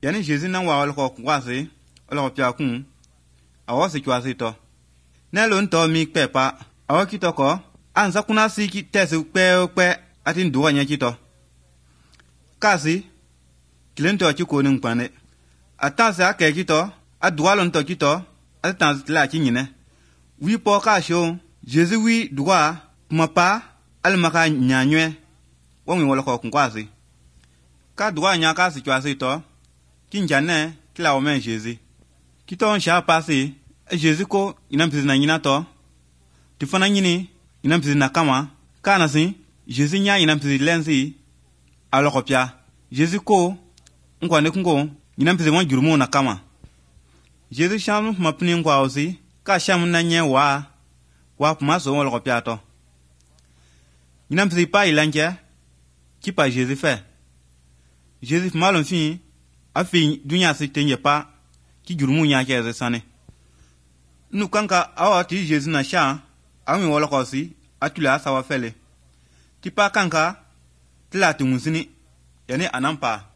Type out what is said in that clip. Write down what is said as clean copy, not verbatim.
yani Jésus nan wa ko kwase olo pya kun awo se kwase to ne lo nto mi pepa awo kitoko anza kuna si ki tese pe atin duwa nya kito kasi kilento chiko nin pane atanse ake kito aduwa lo nto kito atanse la kinyine wi po ka sho Jésus wi duwa mapa almaka nyanywe wongi wala ko kwase ka duwa nya ka si kwase to kinjane kila o men Jésus kiton sha passé Jésus ko ina mpisi na nyina to tifana nyini ina mpisi na kama kana si Jésus nya ina mpisi lensi alokopia Jésus ko nkwane kungo ina mpisi mo jurumu na kama Jésus shamu mapni ngwa osi ka shamu na nye wa pumaso alokopia to ina mpisi pa ilanje kipa Jésus fait Jésus malon fi afi dunya si tenye pa ki jurumu nya ke sane nu kanka awati Jésus na sha ami wala kosi atula sawa fele tipa kanka tila tumusini yani anampa